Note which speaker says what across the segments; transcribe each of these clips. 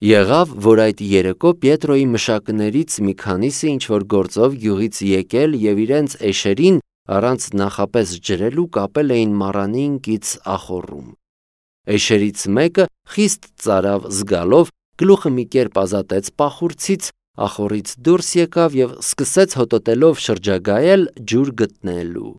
Speaker 1: Եղավ, որ այդ երեկո Պետրոյի մշակներից մի քանիսը ինչ-որ գործով գյուղից եկել և իրենց էշերին առանց նախապես ջրելու կապել էին մառանին կից ախոռում։ Էշերից մեկը խիստ ծարավ զգալով, գլուխը մի կերպ ազատեց պախուրցից, ախոռից դուրս եկավ և սկսեց հոտոտելով շրջագայել ջուր գտնելու։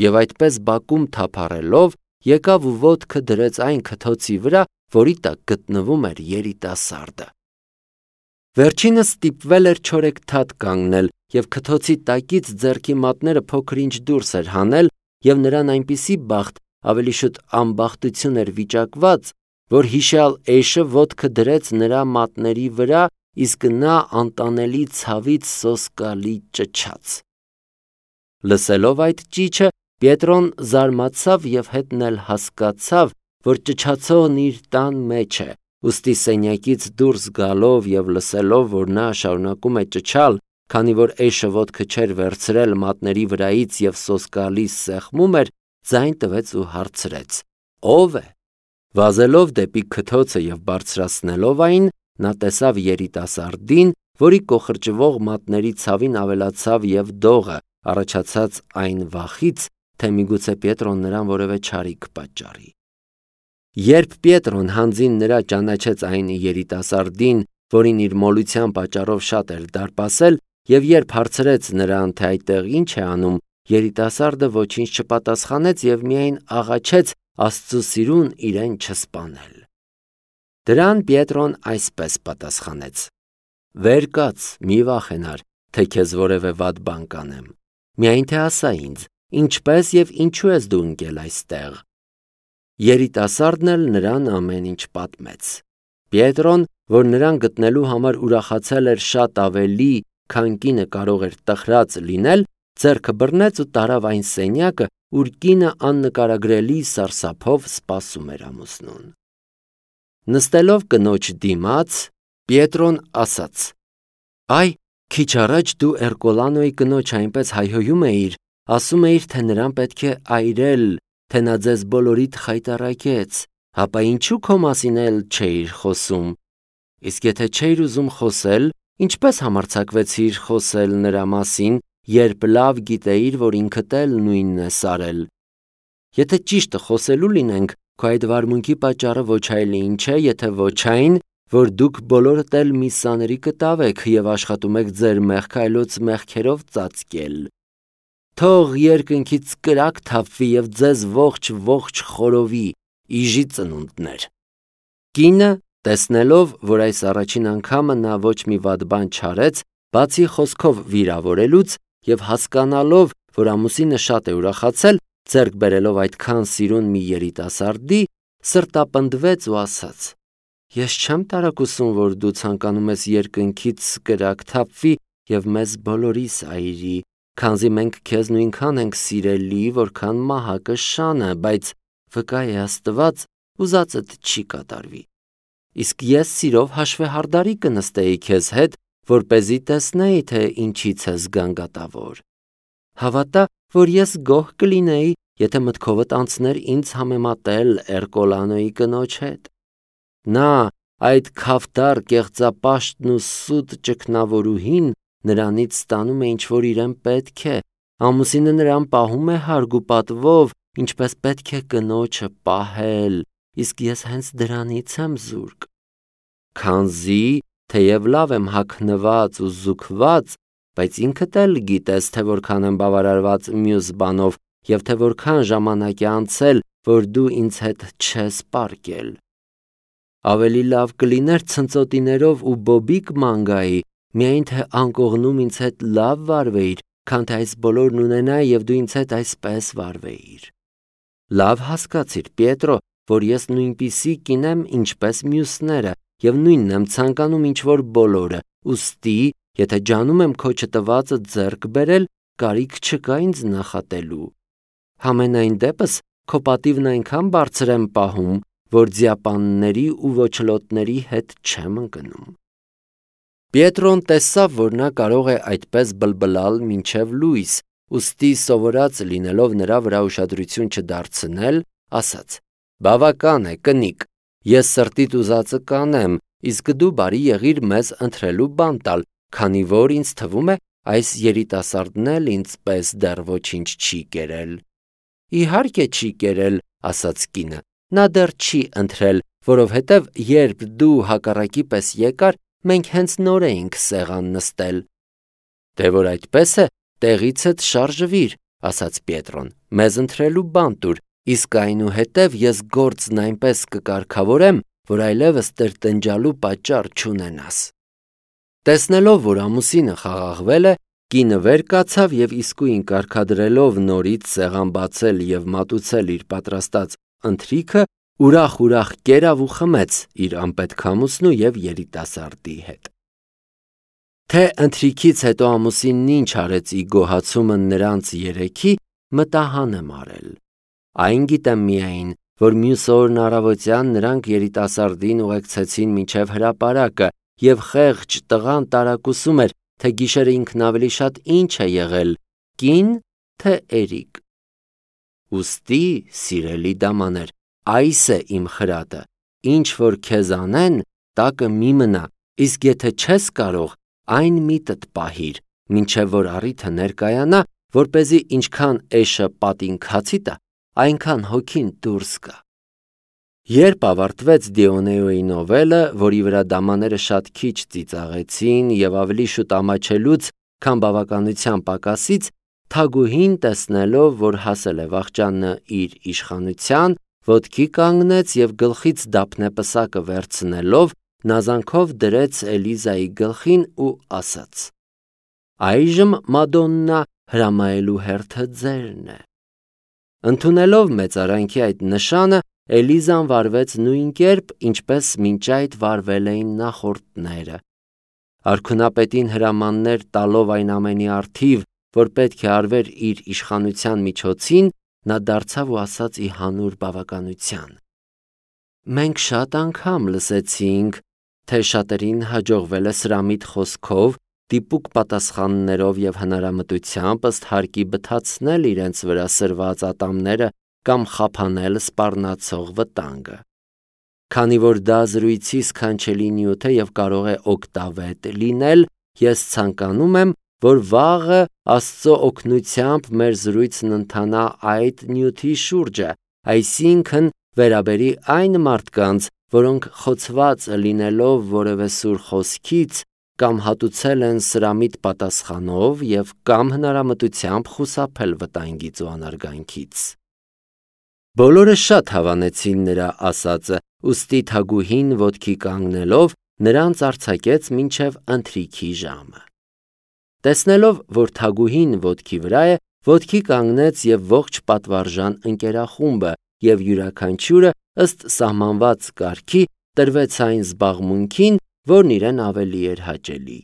Speaker 1: Եվ այդպես բակում թափառելով, եկավ ու ոտքը դրեց այն քթոցի վրա, որի տակ գտնվում էր երիտասարդը։ Վերջինս ստիպվել էր չորեքթաթ կանգնել և քթոցի տակից ձեռքի մատները փոքր-ինչ դուրս էր հանել, և նրան այնպիսի բախտ, ավելի շուտ անբախտություն էր վիճակված, որ հիշյալ էշը ոտքը դրեց նրա մատների վրա, իսկ նա անտանելի ցավից սոսկալի ճչաց։ Լսելով այդ ճիչը, Պետրոն զարմացավ և հետն էլ հասկացավ, որ ճչացողն իր տան մեջ է, ուստի սենյակից դուրս գալով և լսելով, որ նա շարունակում է ճչալ, քանի որ էշը ոտքը չէր վերցրել մատների վրայից և սոսկալի սեղմում էր, ձայն տվեց ու հարցրեց. «Ո՞վ է»։ Վազելով դեպի քթոցը և բարձրացնելով այն, նա տեսավ երիտասարդին, որի կոխրջվող մատների ցավին ավելացավ և դողը, առաջացած այն վախից, թե միգուցե Պետրոն նրան որևէ չարիք պատճառի։ Երբ Պետրոն հանձին նրա ճանաչեց այն երիտասարդին, որին իր մոլության պատճառով շատ էր դարպասել, և երբ հարցրեց նրան, թե այդտեղ ինչ է անում, երիտասարդը ոչինչ չպատասխանեց և միայն աղաչեց Աստծու սիրուն իրեն չսպանել։ Դրան Պետրոն այսպես պատասխանեց. «Վեր կաց, մի վախենար, թե քեզ որևէ վատ բան կանեմ, միայն թե ասա ինձ, ինչպես և ինչու ես դու ընկել այստեղ»։ Երիտասարդն էլ նրան ամեն ինչ պատմեց։ Պետրոն, որ նրան գտնելու համար ուրախացել էր շատ ավելի, քան կինը կարող էր տխրած լինել, ձեռքը բռնեց ու տարավ այն սենյակը, ուր կինը աննկարագրելի սարսափով սպասում էր ամուսնուն։ Նստելով կնոջ դիմաց, Պետրոն ասաց. «Այ, քիչ առաջ դու Էրկոլանոյի կնոջ այնպես հայհոյում էիր, ասում էիր, թե նրան պետք է այրել, թե նա ձեզ բոլորիդ խայտառակեց, ապա ինչու քո մասին էլ չէիր խոսում։ Իսկ եթե չէիր ուզում խոսել, ինչպես համարձակվեցիր խոսել նրա մասին, երբ լավ գիտեիր, որ ինքդ էլ նույնն ես արել։ Եթե ճիշտը խոսելու լինենք, քո այդ վարմունքի պատճառը ոչ այլ ինչ է, եթե ոչ այն, որ դուք բոլորդ էլ մի սաների կտավ եք և աշխատում եք ձեր մեղքը այլոց մեղքերով ծածկել։ Թող երկնքից կրակ թափվի և ձեզ ողջ խորովի, իժի ծնունդներ»։ Կինը, տեսնելով, որ այս առաջին անգամը նա ոչ մի վատ բան չարեց, բացի խոսքով վիրավորելուց և հասկանալով, որ ամուսինը շատ է ուրախացել, ձեռք բերելով այդքան սիրուն մի երիտասարդի, սրտապնդվեց ու ասաց. «Ես չեմ տարակուսում, որ դու ցանկանում ես երկնքից կրակ թափվի և մեզ բոլորիս այրի, քանզի մենք քեզ նույնքան ենք սիրելի, որքան մահակը շանը, բայց վկա է Աստված, ուզածդ չի կատարվի։ Իսկ ես սիրով հաշվեհարդարի կնստեի քեզ հետ, որպեսզի տեսնեի, թե ինչից ես գանգատավոր։ Հավատա, որ ես գոհ կլինեի, եթե մտքովդ անցներ ինձ համեմատել Էրկոլանոյի կնոջ հետ։ Նա, այդ քավդար կեղծապաշտն ու սուտ ճգնավորուհին, նրանից ստանում է ինչ-որ իրեն պետք է, ամուսինը նրան պահում է հարգ ու պատվով, ինչպես պետք է կնոջը պահել, իսկ ես հենց դրանից եմ զուրկ։ Քանզի, թեև լավ եմ հագնված ու զուգված, բայց ինքդ էլ գիտես, թե որքան եմ բավարարված մյուս բանով և թե որքան ժամանակ է անցել, որ դու ինձ հետ չես պառկել։ Ավելի լավ կլիներ ցնծոտիներով ու բոբիկ ման գայի, միայն թե անկողնում ինձ հետ լավ վարվեիր, քան թե այս բոլորն ունենայի և դու ինձ հետ այսպես վարվեիր։ Լավ հասկացիր, Պետրո, որ ես նույնպիսի կին եմ, ինչպես մյուսները, և նույնն եմ ցանկանում ինչ-որ բոլորը, ուստի, եթե ջանում եմ քո չտվածը ձեռք բերել, կարիք չկա ինձ նախատելու։ Համենայն դեպս, քո պատիվն այնքան բարձր եմ պահում, որ ձիապանների ու ոչլոտների հետ չեմ ընկնում։ Պետրոն տեսավ, որ նա կարող է այդպես բլբլալ մինչև լույս, ուստի սովորած լինելով նրա վրա ուշադրություն չդարձնել, ասաց. «Բավական է, կնիկ, ես սրտիդ ուզածը կանեմ, իսկ դու բարի եղիր մեզ ընտրելու բան տալ, քանի որ ինձ թվում է, այս երիտասարդն էլ ինձպես դեռ ոչինչ չի կերել։ Իհարկե չի կերել, ասաց կինը, նա դեռ չի ընտրել, որովհետև երբ դու հակառակի պես եկար, մենք հենց նոր էինք սեղան նստել։ Դե որ այդպես է, տեղիցդ շարժվիր, ասաց Պետրոն, մեզ ընտրելու բան տուր, իսկ այնուհետև ես գործն այնպես կկարգավորեմ, որ այլևս տրտնջալու պատճառ չունենաս։ Տեսնելով, որ ամուսինը խաղաղվել է, կինը վեր կացավ և իսկույն կարգադրելով նորից սեղան բացել և մատուցել իր պատրաստած ընթրիքը, ուրախ կերավ ու խմեց իր անպետք ամուսնու և երիտասարդի հետ։ Թե ընթրիքից հետո ամուսինն ինչ արեց ի գոհացումը նրանց երեքի, մտահան եմ արել։ Այն գիտեմ միայն, որ մյուս օրն առավոտյան նրանք երիտասարդին ուղեկցեցին մինչև հրապարակը, և խեղճ տղան տարակուսում էր, թե գիշերը ինքն ավելի շատ ինչ է եղել, կին, թե էրիկ։ Ուստի, սիրելի դամաներ, այս է իմ խրատը, ինչ որ քեզ անեն, տակը մի մնա, իսկ եթե չես կարող, այն միտդ պահիր, մինչև որ առիթը ներկայանա, որպեսզի ինչքան էշը պատին քացի տա, այնքան հոգին դուրս գա։ Երբ ավարտվեց Դիոնեոյի նովելը, որի վրա դամաները շատ քիչ ծիծաղեցին և ավելի շուտ ամաչելուց, քան բավականության պակասից, Թագուհին տեսնելով, որ հասել է վախճանը իր իշխանության, ոտքի կանգնեց և գլխից դափնեպսակը վերցնելով, նազանքով դրեց Էլիզայի գլխին ու ասաց. «Այժմ, Մադոննա, հրամայելու հերթը ձերն է»։ Ընդունելով մեծարանքի այդ նշանը, Էլիզան վարվեց նույն կերպ, ինչպես մինչ այդ վարվել էին նախորդները։ Արքունապետին հրամաններ տալով այն ամենի առթիվ, որ պետք է արվեր իր իշխանության միջոցին, նա դարձավ ու ասաց ի հանուր բավականության. «Մենք շատ անգամ լսեցինք, թե շատերին հաջողվել է սրամիտ խոսքով, դիպուկ պատասխաններով և հնարամտությամբ ըստ հարկի բթացնել իրենց վրա սրված ատամները կամ խափանել սպառնացող վտանգը։ Քանի որ դա զրույցի սքանչելի նյութ է և կարող է օգտավետ լինել, ես ցանկանում եմ, որ վաղը Աստծո օգնությամբ մեր զրույցն ընթանա այդ նյութի շուրջը, այսինքն վերաբերի այն մարդկանց, որոնք խոցված լինելով որևէ սուր խոսքից կամ հատուցել են սրամիտ պատասխանով և կամ հնարամտությամբ խուսափել վտանգից ու անարգանքից»։ Բոլորը շատ հավանեցին նրա ասածը, ուստի Թագուհին ոտքի կանգնելով նրանց արձակեց մինչև ընթրիքի ժամը։ Տեսնելով, որ Թագուհին ոտքի վրա է, ոտքի կանգնեց և ողջ պատվարժան ընկերախումբը, և յուրաքանչյուրը ըստ սահմանված կարգի տրվեց այն զբաղմունքին, որն իրեն ավելի էր հաճելի։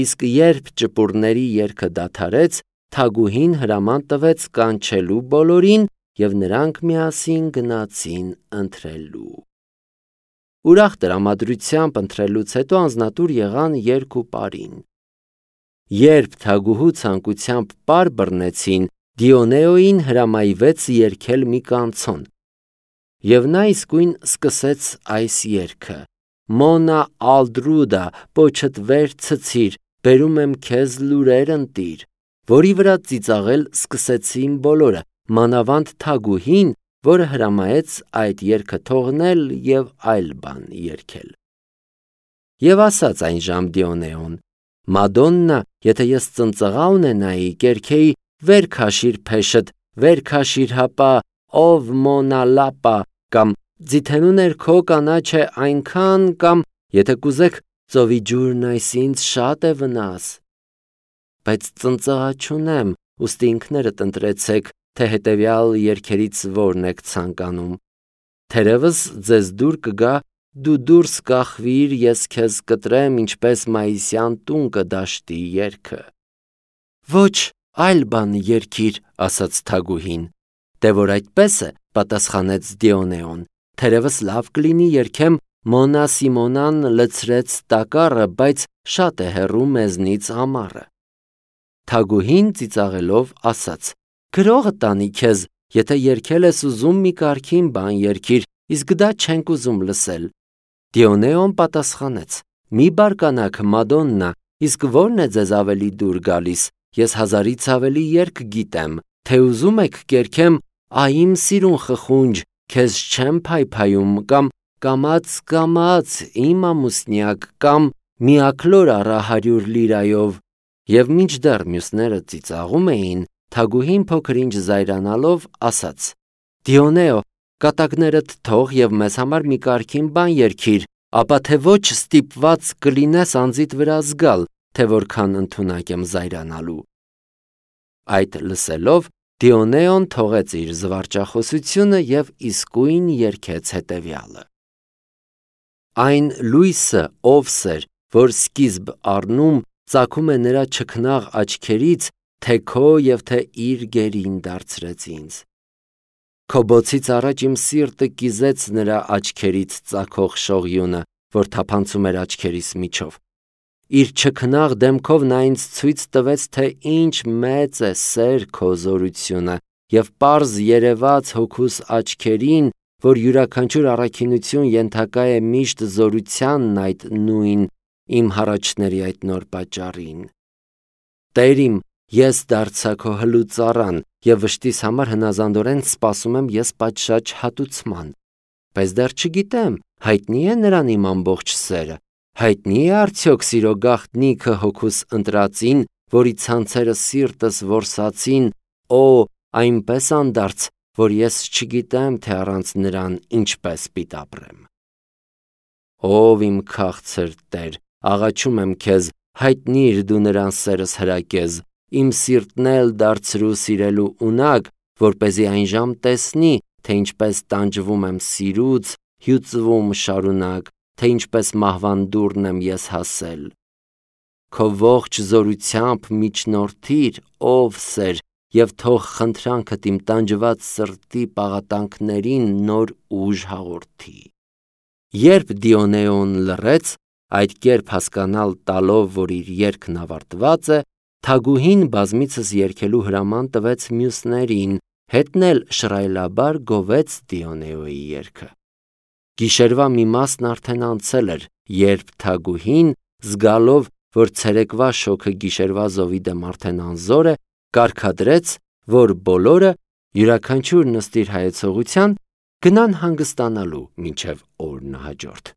Speaker 1: Իսկ երբ ճպուրների երգը դադարեց, Թագուհին հրաման տվեց կանչելու բոլորին, և նրանք միասին գնացին ընթրելու։ Ուրախ տրամադրությամբ ընթրելուց հետո անձնատուր եղան երգ ու պարին։ Երբ Թագուհու ցանկությամբ պար բռնեցին, Դիոնեոյին հրամայվեց երգել մի կանցոն, և նա իսկույն սկսեց այս երգը. «Մոնա Ալդրուդա, պոչդ վեր ցցիր, բերում եմ քեզ լուրեր ընտիր», որի վրա ծիծաղել սկսեցին բոլորը, մանավանդ Թագուհին, որը հրամայեց այդ երգը թողնել և այլ բան երգել։ Եվ ասաց այնժամ Դիոնեոն. «Մադոննա, եթե ես ծնծղա ունենայի, կերքեի. վեր քաշիր փեշդ, վեր քաշիր հապա, ով Մոնա Լապա, կամ ձիթենու ներքո կանաչ է այնքան, կամ եթե կուզեք, ծովի ջուրն այս ինձ շատ է վնաս։ Բայց ծնծղա չունեմ, ուստի ինքներդ ընտրեցեք, թե հետևյալ երգերից որն եք ցանկանում։ Թերևս ձեզ դուր կգա. դու դուրս կախվիր, ես քեզ կտրեմ, ինչպես մայիսյան տուն կդաշտի երգը»։ «Ոչ, այլ բան երգիր», ասաց Թագուհին։ «Դե որ այդպես է», պատասխանեց Դիոնեոն, «թերևս լավ կլինի երգեմ. Մոնա Սիմոնան լցրեց տակառը, բայց շատ է հեռու մեզնից ամառը»։ Թագուհին ծիծաղելով ասաց. «Գրողը տանի քեզ, եթե երգել ես ուզում, մի կարգին բան երգիր, իսկ դա չենք ուզում լսել»։ Դիոնեոն պատասխանեց. «Մի բարկանաք, Մադոննա, իսկ ո՞րն է ձեզ ավելի դուր գալիս, ես 1000-ից ավելի երգ գիտեմ, թե ուզում եք կերքեմ «Այ իմ սիրուն խխունջ, քեզ չեմ փայփայում» կամ «Կամաց իմ ամուսնյակ» կամ «Մի աքլոր առա 100 լիրայով»։ Եվ մինչդեռ մյուսները ծիծաղում էին, թագուհին փոքր-ինչ զայրանալով ասաց. «Դիոնեո, կատակներդ թող եւ մեզ համար մի կարգին բան երգիր, ապա թե ոչ ստիպված կլինես անձիդ վրա զգալ, թե որքան ընդունակ եմ զայրանալու»։ Այդ լսելով Դիոնեոն թողեց իր զվարճախոսությունը եւ իսկույն երգեց հետեւյալը. «Այն լույսը ով սեր, որ սկիզբ առնում, ծագում է նրա չքնաղ աչքերից, թե քո եւ թե իր գերին դարձրեց ինձ։ Քո բոցից առաջ իմ սիրտը կիզեց նրա աչքերից ծագող շողյունը, որ թափանցում էր աչքերիս միջով։ Իր չքնաղ դեմքով նա ինձ ցույց տվեց, թե ինչ մեծ է սեր քո զորությունը, եւ պարզ երևաց հոգուս աչքերին, որ յուրաքանչյուր առաքինություն ենթակա է միշտ զորությանն այդ նույն իմ հառաչների այդ նոր պատճառին։ Տեր իմ, ես դարձա քո հլուծառան եւ վշտիս համար հնազանդորեն սպասում եմ ես պատշաճ հատուցման։ Բայց դեռ չգիտեմ, հայտնի է նրան իմ ամբողջ սերը, հայտնի է արդյոք սիրո գաղտնիքը հոգուս ընտրածին, որի ցանցերը սիրտս որսացին, այնպես անդարձ, որ ես չգիտեմ, թե առանց նրան ինչպես պիտի ապրեմ։ Ով իմ քաղցր Տեր, աղաչում եմ քեզ, հայտնիր դու նրան սերս հրակեզ, իմ սիրտն էլ դարձրու սիրելու ունակ, որպեսզի այն ժամ տեսնի, թե ինչպես տանջվում եմ սիրուց, հյուծվում շարունակ, թե ինչպես մահվան դուռն եմ ես հասել։ Քո ողջ զորությամբ միջնորդիր, ով սեր, եւ թող խնդրանքդ իմ տանջված սրտի պաղատանքներին նոր ուժ հաղորդի։ Երբ Դիոնեոն լռեց, այդ կերպ հասկանալ տալով, որ իր երգն ավարտված է, թագուհին բազմիցս երգելու հրաման տվեց մյուսներին, հետն էլ շռայլաբար գովեց Դիոնեոյի երգը։ Գիշերվա մի մասն արդեն անցել էր, երբ թագուհին, զգալով, որ ցերեկվա շոգը գիշերվա զովի դեմ արդեն անզոր է, կարգադրեց, որ բոլորը յուրաքանչյուր նստիր հայեցողության գնան հանգստանալու մինչև օրն հաջորդ։